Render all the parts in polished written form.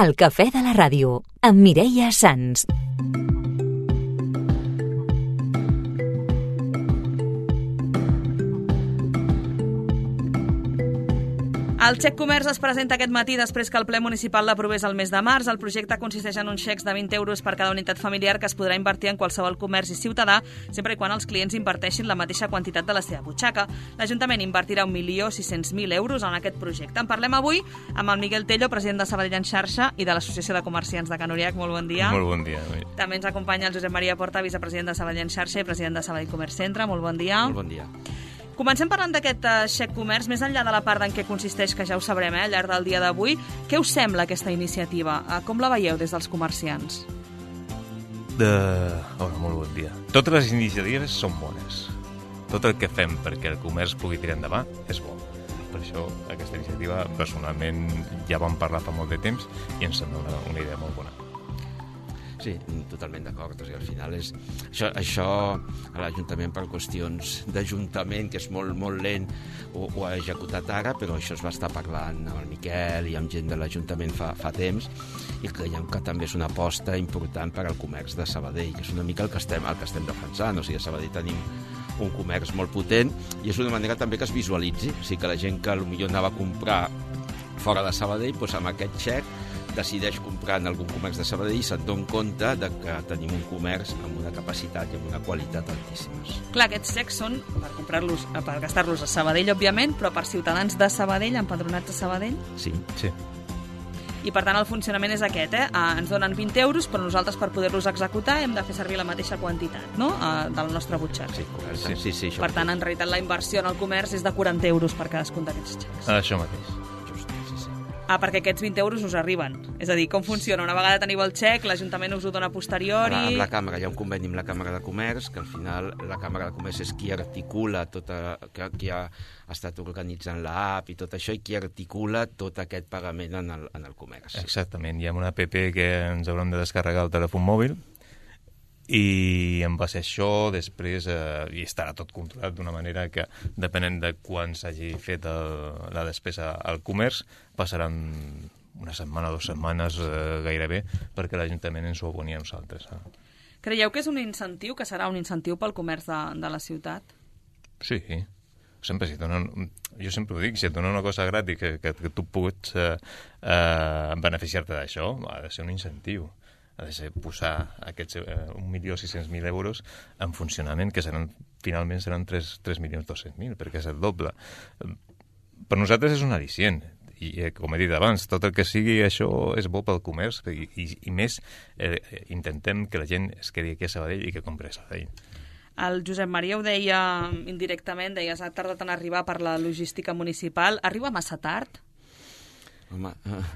El cafè de la ràdio, amb Mireia Sans. El xec comerç es presenta aquest matí després que el ple municipal l'aprovés el mes de març. El projecte consisteix en uns xecs de 20 euros per cada unitat familiar que es podrà invertir en qualsevol comerç i ciutadà, sempre i quan els clients inverteixin la mateixa quantitat de la seva butxaca. L'Ajuntament invertirà 1.600.000 euros en aquest projecte. En parlem avui amb el Miguel Tello, president de Sabadell en xarxa i de l'Associació de Comerciants de Can Uriach. Molt bon dia. Molt bon dia. També ens acompanya el Josep Maria Porta, vicepresident de Sabadell en xarxa i president de Sabadell Comerç Centre. Molt bon dia. Molt bon dia. Comencem parlant d'aquest xec comerç, més enllà de la part en què consisteix, que ja ho sabrem al llarg del dia d'avui. Què us sembla aquesta iniciativa? Com la veieu des dels comerciants? Hola, molt bon dia. Totes les iniciatives són bones. Tot el que fem perquè el comerç pugui tirar endavant és bo. Per això aquesta iniciativa, personalment, ja vam parlar fa molt de temps i ens sembla una idea molt bona. Sí, totalment d'acord. O sigui, al final és... Això a l'Ajuntament per qüestions d'Ajuntament, que és molt lent, ho ha executat ara, però això es va estar parlant amb el Miquel i amb gent de l'Ajuntament fa temps, i creiem que també és una aposta important per al comerç de Sabadell, que és una mica el que estem defensant. O sigui, a Sabadell tenim un comerç molt potent i és una manera també que es visualitzi. O sigui, que la gent que potser anava a comprar fora de Sabadell, doncs amb aquest xec decideix comprar en algun comerç de Sabadell i se'n dona compte de que tenim un comerç amb una capacitat i amb una qualitat altíssimes. Clar, aquests xecs són per comprar-los, per gastar-los a Sabadell, òbviament, però per ciutadans de Sabadell, empadronats a Sabadell? Sí. I per tant el funcionament és aquest, ens donen 20 euros, però nosaltres per poder-los executar hem de fer servir la mateixa quantitat, no?, del nostre butxaca. Sí, correcte. Sí, per tant, en realitat, la inversió en el comerç és de 40 euros per cadascun d'aquests xecs. Això mateix. Perquè aquests 20 euros us arriben. És a dir, com funciona? Una vegada teniu el xec, l'Ajuntament us ho dona a posteriori... Amb la Càmera, hi ha un conveni amb la Càmera de Comerç, que al final la Càmera de Comerç és qui articula qui ha estat organitzant l'app i tot això, i qui articula tot aquest pagament en el comerç. Exactament. Hi ha una app que ens haurem de descarregar al telèfon mòbil, i en base a això després hi estarà tot controlat d'una manera que, depenent de quan s'hagi fet la despesa al comerç, passaran una setmana o 2 setmanes gairebé perquè l'Ajuntament ens ho aboni a nosaltres. Creieu que és un incentiu, que serà un incentiu pel comerç de la ciutat? Sí, sempre jo sempre ho dic, si et dona una cosa gratis que tu pots beneficiar-te d'això, ha de ser un incentiu. Ha de ser posar aquests 1.600.000 euros en funcionament, que finalment seran 3.200.000, perquè és el doble. Per nosaltres és un al·licient, i com he dit abans, tot el que sigui això és bo pel comerç, i més intentem que la gent es quedi aquí a Sabadell i que compri a Sabadell. El Josep Maria ho deia indirectament, deies, ha tardat en arribar per la logística municipal. Arriba massa tard? Home,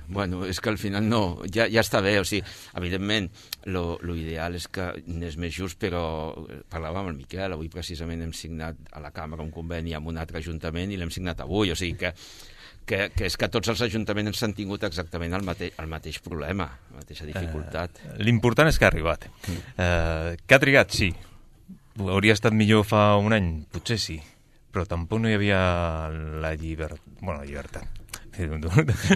bueno, és que al final no, ja està bé, o sigui, evidentment, lo ideal és que n'és més just, però parlàvem amb el Miquel, avui precisament hem signat a la Càmera un conveni amb un altre ajuntament i l'hem signat avui, o sigui que és que tots els ajuntaments han tingut exactament el mateix problema, la mateixa dificultat. L'important és que ha arribat. Que ha trigat, sí. Hauria estat millor fa un any, potser sí, però tampoc no hi havia la llibertat. No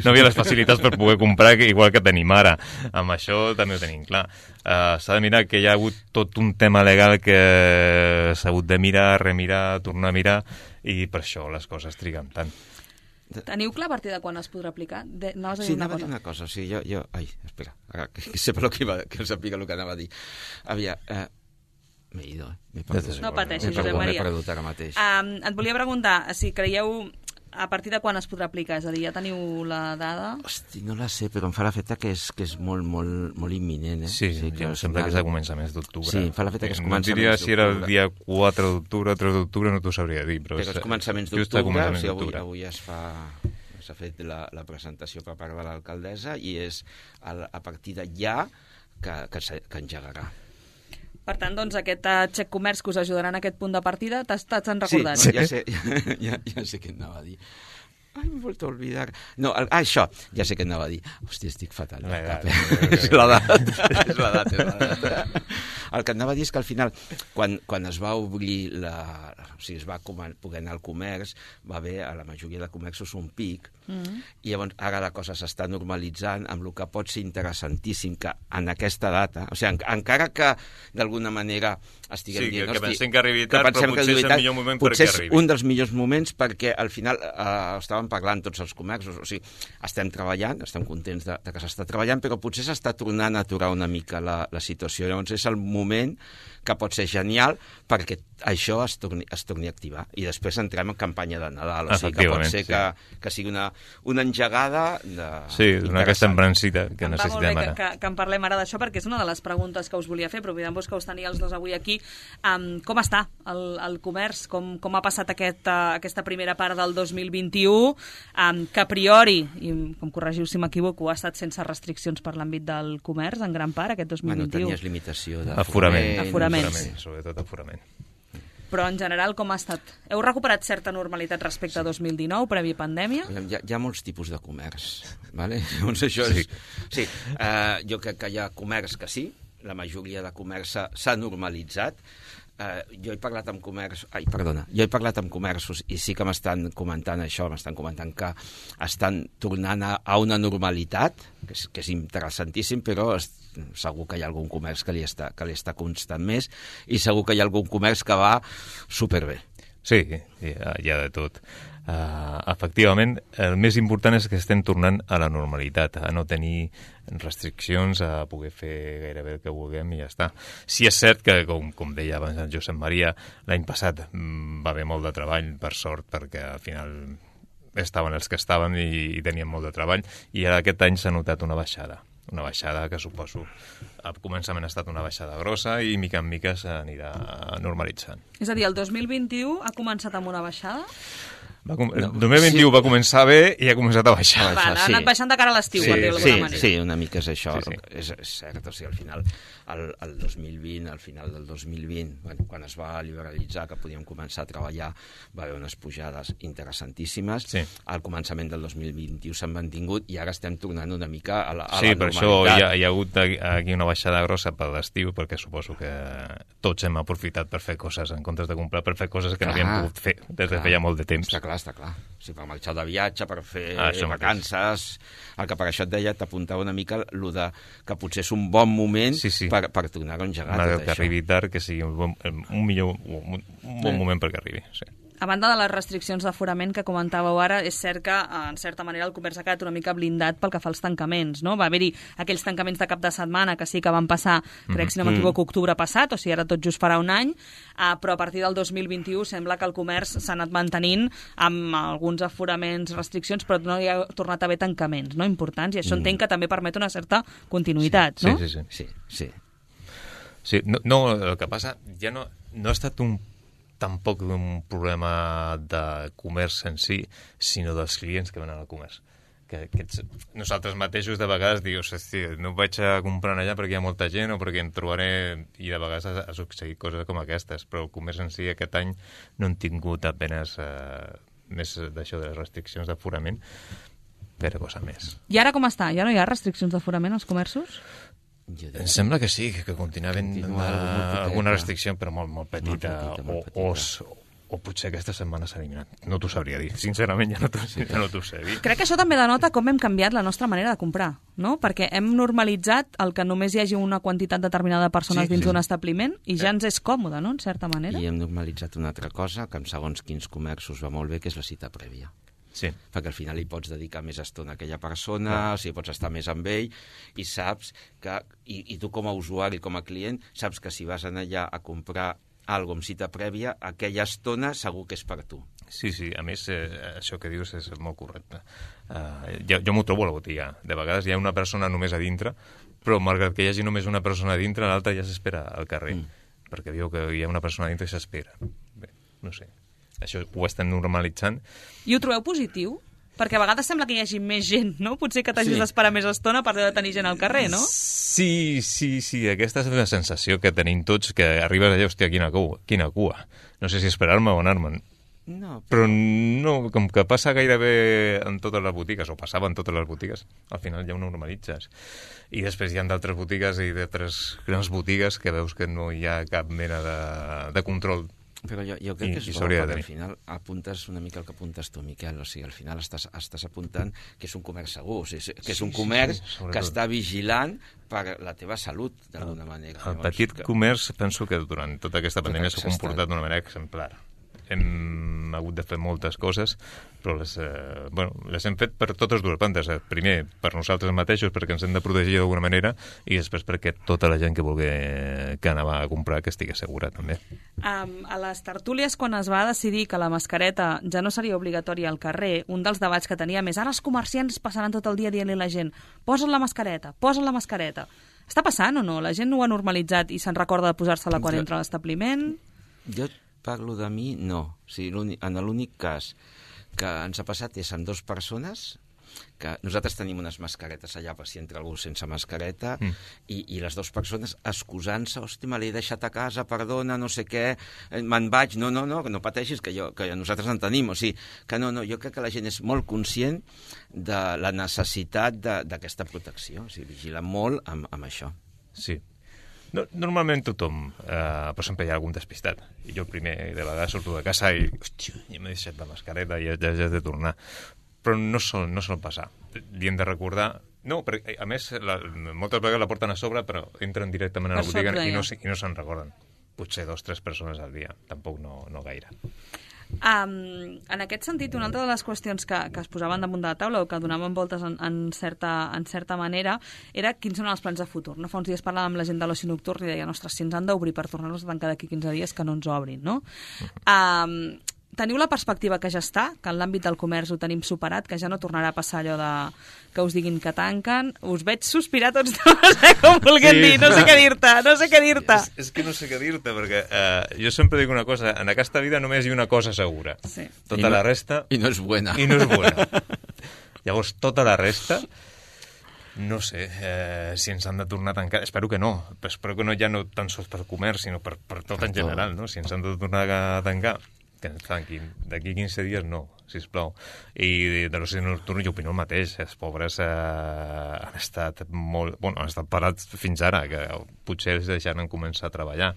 hi havia les facilitats per poder comprar igual que tenim ara. Amb això també ho tenim clar. S'ha de mirar que hi ha hagut tot un tema legal que s'ha hagut de mirar, remirar, tornar a mirar, i per això les coses triguen tant. Teniu clar a partir de quan es podrà aplicar? Sí, anava a dir una cosa. Sí, jo... Ai, espera, que sàpiga el que anava a dir. M'he ido, m'he perdut. No pateixis, Josep Maria. M'he perdut ara mateix. Et volia preguntar si creieu a partir de quan es podrà aplicar? És a dir, ja teniu la dada? Hosti, no la sé, però em fa l'efecte que és molt imminent. Sí, jo sembla que és a començaments d'octubre. Sí, em fa l'efecte que és començaments d'octubre. No diria si era el dia 4 d'octubre, 3 d'octubre, no t'ho sabria dir. Però és començaments d'octubre, o sigui, avui s'ha fet la presentació per part de l'alcaldessa i és a partir de ja que engegarà. Per tant, doncs, aquest xec comerç que us ajudarà en aquest punt de partida, t'han recordat? Sí, ja sé què anava a dir. Ai, m'he vuelto a olvidar. No, això, ja sé què anava a dir. Hòstia, estic fatal. És l'edat. el que anava a dir és que al final, quan es va obrir es va poder anar al comerç, va haver a la majoria de comerços un pic, i llavors ara la cosa s'està normalitzant amb el que pot ser interessantíssim que en aquesta data, o sigui, encara que d'alguna manera estiguem dient... Sí, que pensem que arribi tard, però potser és el millor moment perquè arribi. Potser és un dels millors moments perquè al final estàvem parlant tots els comerços, o sigui, estem treballant, estem contents de que s'està treballant, però potser s'està tornant a aturar una mica la situació. Llavors és el moment que pot ser genial perquè això es torni a activar. I després entrem en campanya de Nadal. O sigui que pot ser que sigui una engegada d'una aquesta embrancita que necessitem ara. Que en parlem ara d'això, perquè és una de les preguntes que us volia fer, però oblidant-vos que us tenia els dos avui aquí. Com està el comerç? Com ha passat aquesta primera part del 2021? Que a priori, i em corregiu si m'equivoco, ha estat sense restriccions per l'àmbit del comerç, en gran part, aquest 2021. Bueno, tenies limitació d'aforament, sobretot aforament. Però en general com ha estat? Heu recuperat certa normalitat respecte a 2019, previ pandèmia? Hi ha molts tipus de comerç, ¿vale? Llavors això és... Sí, jo crec que hi ha comerç que sí, la majoria de comerç s'ha normalitzat. Jo he parlat amb comerços i sí que m'estan comentant això, m'estan comentant que estan tornant a una normalitat, que és interessantíssim, però segur que hi ha algun comerç que li està constant més i segur que hi ha algun comerç que va superbé. Sí, hi ha de tot. Efectivament, el més important és que estem tornant a la normalitat, a no tenir restriccions, a poder fer gairebé el que vulguem i ja està. Sí és cert que, com deia abans el Josep Maria, l'any passat va haver molt de treball, per sort, perquè al final estaven els que estaven i tenien molt de treball, i ara aquest any s'ha notat una baixada que suposo al començament ha estat una baixada grossa i mica en mica s'anirà normalitzant. És a dir, el 2021 ha començat amb una baixada? El 2021 va començar bé i ha començat a baixar. Ha anat baixant de cara a l'estiu, per dir-ho d'alguna manera. Sí, una mica és això. És cert, o sigui, al final, al 2020, al final del 2020, quan es va liberalitzar, que podíem començar a treballar, va haver unes pujades interessantíssimes. Al començament del 2021 s'han mantingut i ara estem tornant una mica a la normalitat. Sí, per això hi ha hagut aquí una baixada grossa per l'estiu, perquè suposo que tots hem aprofitat per fer coses en comptes de comprar, per fer coses que no havíem pogut fer des de feia molt de temps. Està clar. O sigui, per marxar de viatge, per fer vacances... El que per això et deia, t'apuntava una mica que potser és un bon moment per tornar a engegar tot això. Que arribi tard, que sigui un bon moment perquè arribi, sí. A banda de les restriccions d'aforament que comentàveu ara, és cert que, en certa manera, el comerç ha quedat una mica blindat pel que fa als tancaments, no? Va haver-hi aquells tancaments de cap de setmana que sí que van passar, crec, si no m'equivoco, octubre passat, o sigui, ara tot just farà un any, però a partir del 2021 sembla que el comerç s'ha anat mantenint amb alguns aforaments, restriccions, però no hi ha tornat a haver tancaments, no?, importants, i això entenc que també permet una certa continuïtat, no? Sí. No, el que passa ja no ha estat tampoc un problema de comerç en si, sinó dels clients que venen al comerç. Nosaltres mateixos de vegades dius, no vaig a comprar allà perquè hi ha molta gent o perquè em trobaré, i de vegades ha succeït coses com aquestes, però el comerç en si aquest any no han tingut apenes més d'això de les restriccions d'aforament, però cosa més. I ara com està? Ja no hi ha restriccions d'aforament als comerços? Em sembla que sí, que continua havent alguna restricció, però molt petita, o potser aquesta setmana s'ha eliminat. No t'ho sabria dir. Sincerament, ja no t'ho sé dir. Crec que això també denota com hem canviat la nostra manera de comprar, no? Perquè hem normalitzat el que només hi hagi una quantitat determinada de persones dins d'un establiment i ja ens és còmode, no?, en certa manera. I hem normalitzat una altra cosa, que en segons quins comerços va molt bé, que és la cita prèvia. Sí. Perquè al final hi pots dedicar més estona a aquella persona, o sigui, pots estar més amb ell, i saps que, i tu com a usuari, com a client, saps que si vas allà a comprar alguna amb cita prèvia, aquella estona segur que és per tu. Sí, a més, això que dius és molt correcte. Jo m'ho trobo a la botiga. De vegades hi ha una persona només a dintre, però malgrat que hi hagi només una persona a dintre, l'altra ja s'espera al carrer, perquè diu que hi ha una persona a dintre i s'espera. Bé, no sé. Això ho estem normalitzant. I ho trobeu positiu? Perquè a vegades sembla que hi hagi més gent, no? Potser que t'hagis d'esperar més estona per de tenir gent al carrer, no? Sí. Aquesta és una sensació que tenim tots, que arribes allà, hòstia, quina cua. No sé si esperar-me o anar-me'n. No, Però no, com que passa gairebé en totes les botigues, o passava en totes les botigues, al final ja ho normalitzes. I després hi ha d'altres botigues i d'altres grans botigues que veus que no hi ha cap mena de control. Però jo crec que és bo, perquè al final apuntes una mica el que apuntes tu, Miquel, o sigui, al final estàs apuntant que és un comerç segur, o sigui, que és un comerç que està vigilant per la teva salut, d'alguna manera. El petit comerç, penso que durant tota aquesta pandèmia s'ha comportat d'una manera exemplar. Hem hagut de fer moltes coses, però les hem fet per totes dues bandes. Primer, per nosaltres mateixos, perquè ens hem de protegir d'alguna manera, i després perquè tota la gent que vulgui que anava a comprar que estigui segura, també. A les tertúlies, quan es va decidir que la mascareta ja no seria obligatòria al carrer, un dels debats que teníem és ara els comerciants passaran tot el dia dient-li a la gent posa't la mascareta, posa't la mascareta. Està passant o no? La gent no ho ha normalitzat i se'n recorda de posar-se-la quan entra a l'establiment? Jo parlo de mi, no. O sigui, en l'únic cas que ens ha passat és amb 2 persones, que nosaltres tenim unes mascaretes allà per si entra algú sense mascareta, i les 2 persones excusant-se, hòstia, me l'he deixat a casa, perdona, no sé què, me'n vaig, no, que no pateixis, que nosaltres en tenim, o sigui, que no, jo crec que la gent és molt conscient de la necessitat d'aquesta protecció, o sigui, vigila molt amb això. Sí. No, normalment tothom, però sempre hi ha algun despistat. I jo primer, de vegades, surto de casa i, hòstia, ja m'he deixat la mascareta i ja he de tornar. Però no sol passar. Li hem de recordar... No, perquè, a més, moltes vegades la porten a sobre, però entren directament a la botiga i no se'n recorden. Potser 2 o 3 persones al dia. Tampoc no gaire. En aquest sentit, una altra de les qüestions que es posaven damunt de la taula o que donaven voltes en certa manera era quins són els plans de futur. No? Fa uns dies parlàvem amb la gent de l'oci nocturn i deien, ostres, si ens han d'obrir per tornar-nos a tancar d'aquí 15 dies, que no ens obrin, no? Teniu la perspectiva que ja està, que en l'àmbit del comerç ho tenim superat, que ja no tornarà a passar allò de que us diguin que tanquen? Us veig sospirar tots dos, com vulguem dir, no sé què dir-te. És que no sé què dir-te, perquè jo sempre dic una cosa, en aquesta vida només hi ha una cosa segura. Sí. Tota la resta... I no és buena. Llavors, tota la resta... No sé si ens han de tornar a tancar. Espero que no. Espero que no ja no tan sols per comerç, sinó per tot en general, no? Si ens han de tornar a tancar, que ens tanquin. D'aquí 15 dies no, sisplau. I de l'oci nocturn jo opino el mateix. Els pobres han estat han estat parats fins ara, que potser els deixaran començar a treballar.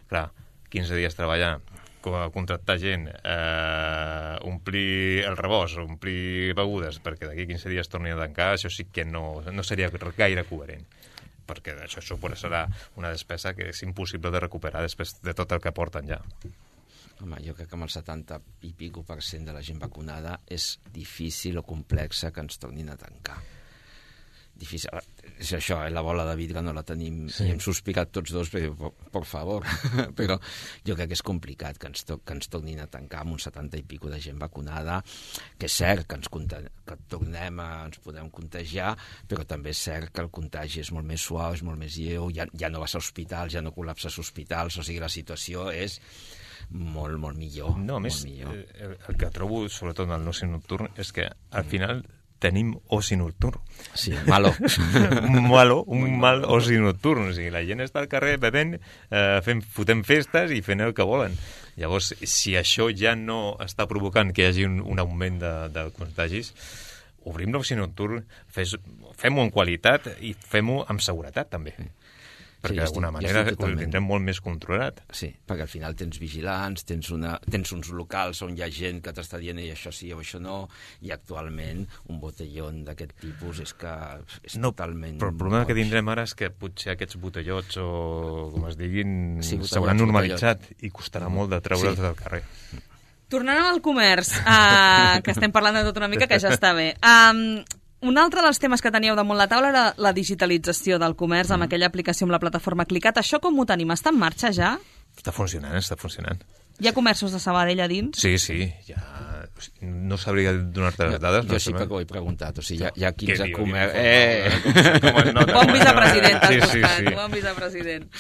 Clar, 15 dies treballar, contractar gent, omplir el rebost, omplir begudes, perquè d'aquí 15 dies torni a tancar, això sí que no seria gaire coherent, perquè això serà una despesa que és impossible de recuperar després de tot el que porten ja. Home, jo crec que amb el 70 i pico % de la gent vacunada és difícil o complexa que ens tornin a tancar. Difícil. És això, la bola de vidre no la tenim, i hem sospirat tots dos, per favor, però jo crec que és complicat que ens tornin a tancar amb un 70 i pico de gent vacunada, que és cert que ens podem contagiar, però també és cert que el contagi és molt més suau, és molt més lleu, ja no vas a hospitals, ja no col·lapses hospitals, o sigui, la situació és molt, molt millor. No, a més, el que trobo, sobretot en el oci nocturn, és que al final tenim oci nocturn. Sí, malo. un mal oci nocturn. O sigui, la gent està al carrer bevent, fotent festes i fent el que volen. Llavors, si això ja no està provocant que hi hagi un augment de contagis, obrim l'oci nocturn, fem-ho en qualitat i fem-ho amb seguretat, també. Perquè d'alguna manera ho tindrem molt més controlat. Sí, perquè al final tens vigilants, tens uns locals on hi ha gent que t'està dient això sí o això no, i actualment un botellón d'aquest tipus és que és totalment... Però el problema que tindrem ara és que potser aquests botellots, o com es diguin, s'hauran normalitzat i costarà molt de treure'ls del carrer. Tornant al comerç, que estem parlant de tot una mica, que ja està bé. Un altre dels temes que teníeu damunt la taula era la digitalització del comerç amb aquella aplicació amb la plataforma Clicat. Això com ho tenim? Està en marxa ja? Està funcionant. Hi ha comerços de Sabadell a dins? Sí, ja... No sabria donar-te les dades. Jo sí que ho he preguntat. O sigui, hi ha 15 comerços... Bon vicepresident, t'has buscat. Bon vicepresident.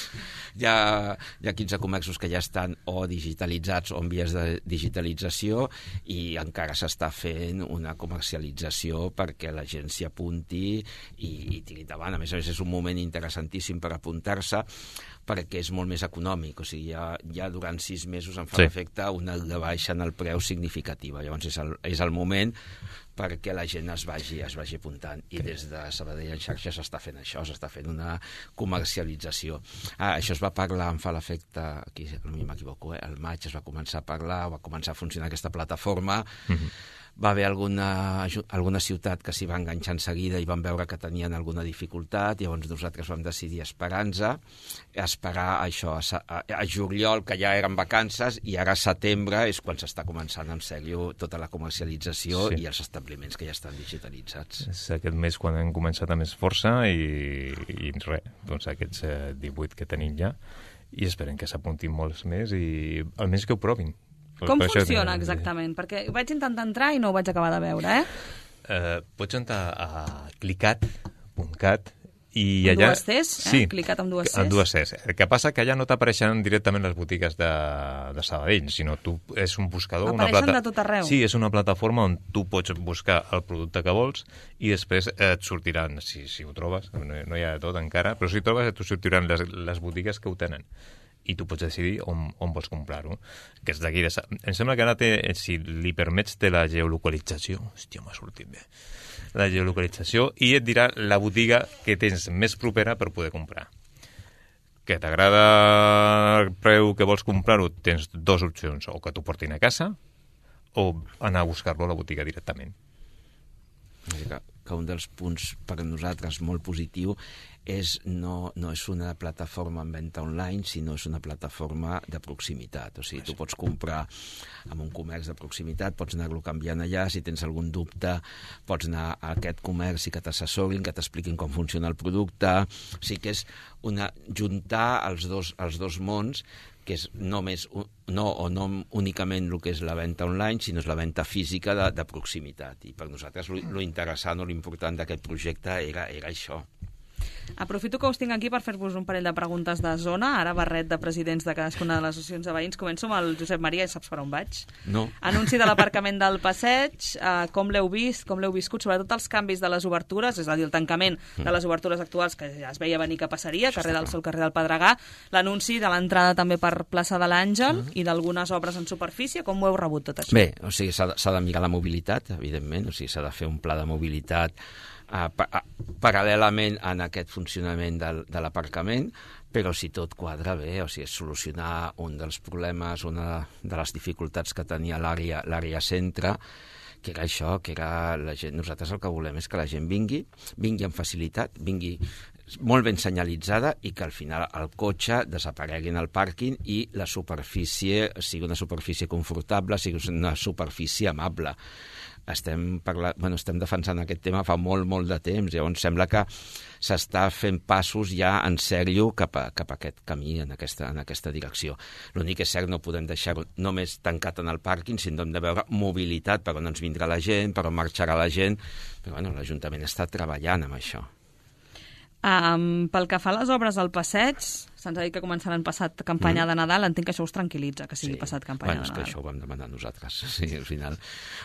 hi ha 15 comerços que ja estan o digitalitzats o en vies de digitalització i encara s'està fent una comercialització perquè la gent s'hi apunti i tiri endavant. A més, és un moment interessantíssim per apuntar-se perquè és molt més econòmic, o sigui, ja durant 6 mesos em fa l'efecte una baixa en el preu significativa. Llavors és el moment perquè la gent es vagi apuntant. I des de Sabadell en xarxa s'està fent això, s'està fent una comercialització. Això es va parlar, em fa l'efecte, aquí no m'equivoco, al maig es va començar a parlar, va començar a funcionar aquesta plataforma, va haver alguna ciutat que s'hi va enganxar en seguida i van veure que tenien alguna dificultat, llavors nosaltres vam decidir esperar això a juliol, que ja eren vacances, i ara a setembre és quan s'està començant en sèrio tota la comercialització i els establiments que ja estan digitalitzats. És aquest mes quan hem començat amb més força i res, doncs aquests 18 que tenim ja, i esperem que s'apuntin molts més i almenys que ho provin. Com funciona exactament? Perquè vaig intentar entrar i no ho vaig acabar de veure, Pots entrar a clicat.cat i amb allà... dues Cs? Sí, clicat amb dues Cs? Amb dues Cs. El que passa que allà no t'apareixen directament les botigues de Sabadell, sinó és un buscador... Apareixen de tot arreu? Sí, és una plataforma on tu pots buscar el producte que vols i després et sortiran, si ho trobes, no hi ha de tot encara, però si ho trobes et sortiran les botigues que ho tenen. I tu pots decidir on vols comprar-ho, que és d'aquí. Em sembla que ara si li permets, té la geolocalització. Hòstia, m'ha sortit bé. La geolocalització, i et dirà la botiga que tens més propera per poder comprar. Que t'agrada el preu que vols comprar-ho, tens 2 opcions, o que t'ho portin a casa o anar a buscar-lo a la botiga directament. Que un dels punts per a nosaltres molt positiu no és una plataforma en venda online, sinó és una plataforma de proximitat. O sigui, tu pots comprar en un comerç de proximitat, pots anar-lo canviant allà, si tens algun dubte pots anar a aquest comerç i que t'assessorin, que t'expliquin com funciona el producte. O sigui que és juntar els dos mons, que és no únicament el que és la venda online, sinó és la venda física de proximitat. I per nosaltres lo interessant o l'important d'aquest projecte era això. Aprofito que us tinc aquí per fer-vos un parell de preguntes de zona. Ara barret de presidents de cadascuna de les associacions de veïns. Començo amb el Josep Maria, saps per on vaig? No. Anunci de l'aparcament del passeig, com l'heu vist, com l'heu viscut, sobretot els canvis de les obertures, és a dir, el tancament de les obertures actuals, que ja es veia venir que passaria, carrer del Sol, carrer del Pedregà, l'anunci de l'entrada també per plaça de l'Àngel i d'algunes obres en superfície. Com ho heu rebut tot això? Bé, o sigui, s'ha de mirar la mobilitat, evidentment, o sigui, s'ha de fer un pla de mobilitat paral·lelament en aquest funcionament de l'aparcament, però si tot quadra bé, o sigui, és solucionar un dels problemes, una de les dificultats que tenia l'àrea centre, que era això, que era la gent. Nosaltres el que volem és que la gent vingui amb facilitat, vingui molt ben senyalitzada i que al final el cotxe desaparegui en el pàrquing i la superfície sigui una superfície confortable, sigui una superfície amable. Estem defensant aquest tema fa molt de temps, llavors sembla que s'està fent passos ja en sèrio cap a aquest camí, en aquesta direcció. L'únic que és cert, no podem deixar-ho només tancat en el pàrquing, sinó hem de veure mobilitat, per on ens vindrà la gent, per on marxarà la gent, però l'Ajuntament està treballant amb això. Pel que fa a les obres al passeig, se'ns ha dit que començaran passat campanya de Nadal, entenc que això us tranquil·litza, que sigui passat campanya de Nadal. És que això ho vam demanar nosaltres. Sí, al final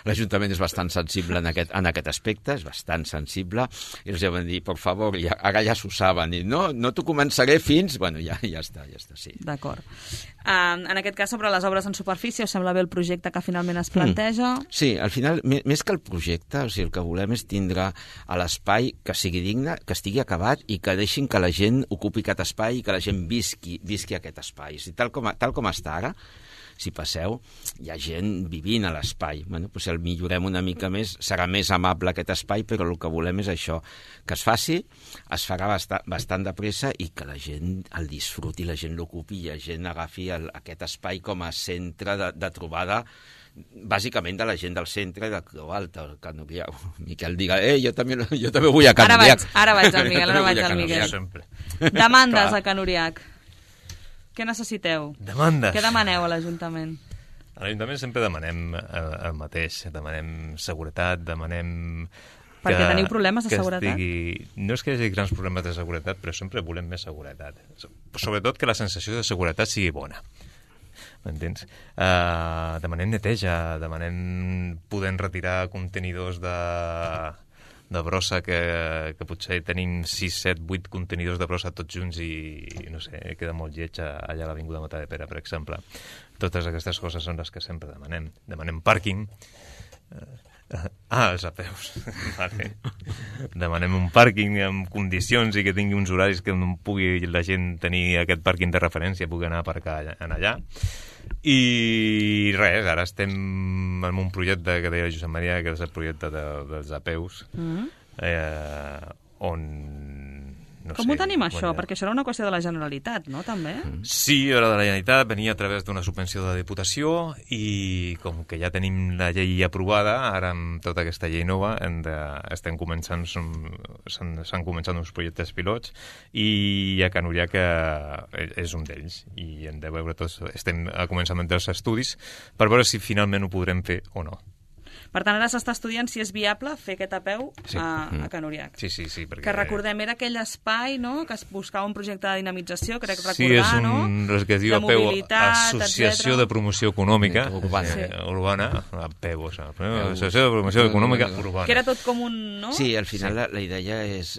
l'Ajuntament és bastant sensible en aquest aspecte, és bastant sensible, i els vam dir, per favor, ara ja s'ho saben, i no t'ho començaré fins... Bueno, ja està, sí. D'acord. En aquest cas, sobre les obres en superfície, us sembla bé el projecte que finalment es planteja? Sí, al final, més que el projecte, o sigui, el que volem és tindre a l'espai que sigui digne, que estigui acabat i que deixin que la gent ocupi aquest espai i que la gent visqui aquest espai. O sigui, tal com està ara, si passeu, hi ha gent vivint a l'espai. Si el millorem una mica més, serà més amable aquest espai, però el que volem és això, que es faci, es farà bastant de pressa i que la gent el disfruti, la gent l'ocupi i la gent agafi aquest espai com a centre de trobada, bàsicament de la gent del centre de Creu Alta, que Miquel diga, jo també vull a Can Uriach. Ara vaig al Miquel. Demandes a Can Uriach. Què necessiteu? Demandes. Què demaneu a l'Ajuntament? A l'Ajuntament sempre demanem el mateix. Demanem seguretat, demanem Perquè teniu problemes de seguretat? No és que hi hagi grans problemes de seguretat, però sempre volem més seguretat. Sobretot que la sensació de seguretat sigui bona. M'entens? Demanem neteja, demanem poder retirar contenidors de brossa que potser tenim 6, 7, 8 contenidors de brossa tots junts i no sé, queda molt lleig allà a l'Avinguda Matadepera, per exemple. Totes aquestes coses són les que sempre demanem. Demanem pàrquing. Els apeus. Vale. Demanem un pàrquing amb condicions i que tingui uns horaris que no pugui la gent tenir aquest pàrquing de referència, pugui anar a aparcar allà. I res, ara estem en un projecte que deia Josep Maria, que és el projecte dels apeus, on... No Com ho tenim, això? Perquè això era una qüestió de la Generalitat, no, també? Sí, era de la Generalitat, venia a través d'una subvenció de la Diputació i com que ja tenim la llei aprovada, ara amb tota aquesta llei nova s'han començat uns projectes pilots i a Can Uriac és un d'ells i hem de veure tots, estem a començament dels estudis per veure si finalment ho podrem fer o no. Per tant, ara s'està estudiant si és viable fer aquest apeu a Can Uriac. Sí, perquè... Que recordem, era aquell espai, no?, que es buscava un projecte de dinamització, crec recordar, sí, és el que es diu APEU, Associació de Promoció Econòmica Urbana, APEU, Associació de Promoció Econòmica Urbana. Que era tot com un... no? Sí, al final la idea és...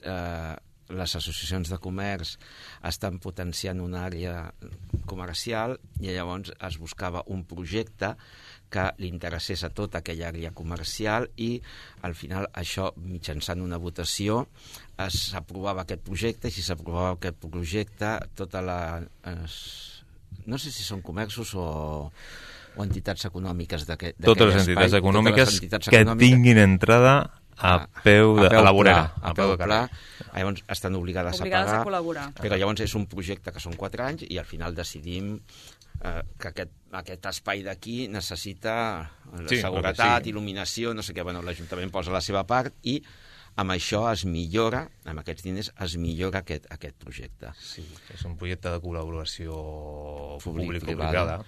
les associacions de comerç estan potenciant una àrea comercial i llavors es buscava un projecte que li interessés a tota aquella àrea comercial i al final això, mitjançant una votació, s'aprovava aquest projecte i si s'aprovava aquest projecte, tota la... no sé si són comerços o entitats econòmiques d'aquest espai. Totes les entitats econòmiques que tinguin entrada a peu de la vorera. A peu de pla. Llavors estan obligades a pagar. A col·laborar. Però llavors és un projecte que són 4 anys i al final decidim que aquest espai d'aquí necessita seguretat, il·luminació, no sé què. Bueno, l'Ajuntament posa la seva part i amb això es millora, amb aquests diners, es millora aquest projecte. Sí, és un projecte de col·laboració público-privada,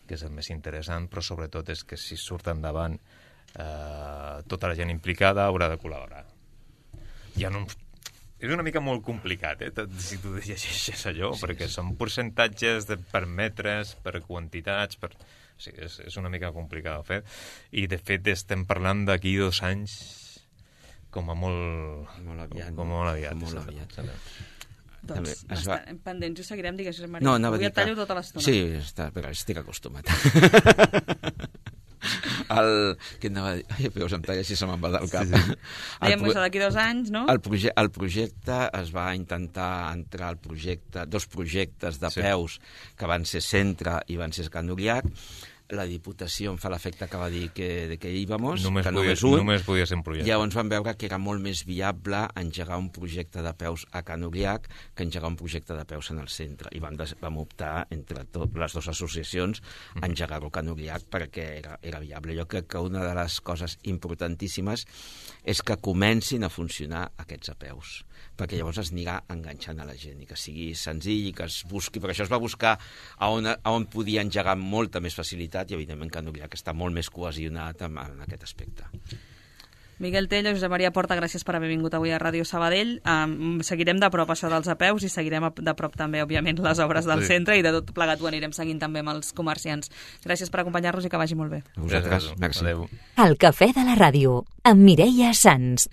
que és el més interessant, però sobretot és que si surt endavant tota la gent implicada haurà de col·laborar. És una mica molt complicat, si tu llegeixes allò, perquè són percentatges per metres, per quantitats, sí, és una mica complicat de fer. I, de fet, estem parlant d'aquí 2 anys com a molt aviat. Doncs estarem pendents i ho seguirem, digues, Josep Maria. No, avui et tallo tota l'estona. Sí, però estic acostumat. Què anava a dir? Ai, veus, em talla si se me'n va del cap. Sí. Dèiem que d'aquí 2 anys, no? El projecte es va intentar entrar al projecte, 2 projectes d'apeus que van ser Centre i van ser Can Uriac. La Diputació em fa l'efecte que va dir que íbamos, que només podia ser un projecte. Llavors vam veure que era molt més viable engegar un projecte d'apeus a Can Uriac que engegar un projecte d'apeus en el centre. I vam optar, entre les 2 associacions, a engegar-ho a Can Uriac perquè era viable. Jo crec que una de les coses importantíssimes és que comencin a funcionar aquests apeus, perquè llavors es anirà enganxant a la gent i que sigui senzill i que es busqui, perquè això es va buscar a on podia engegar amb molta més facilitat i evidentment Can Uriac està molt més cohesionat en aquest aspecte. Miguel Tello, Josep Maria Porta, gràcies per haver vingut avui a Ràdio Sabadell. Seguirem de prop això dels apeus i seguirem de prop també, òbviament, les obres del centre i de tot plegat ho anirem seguint també amb els comerciants. Gràcies per acompanyar-nos i que vagi molt bé. A vosaltres, merci. El Cafè de la Ràdio, amb Mireia Sans.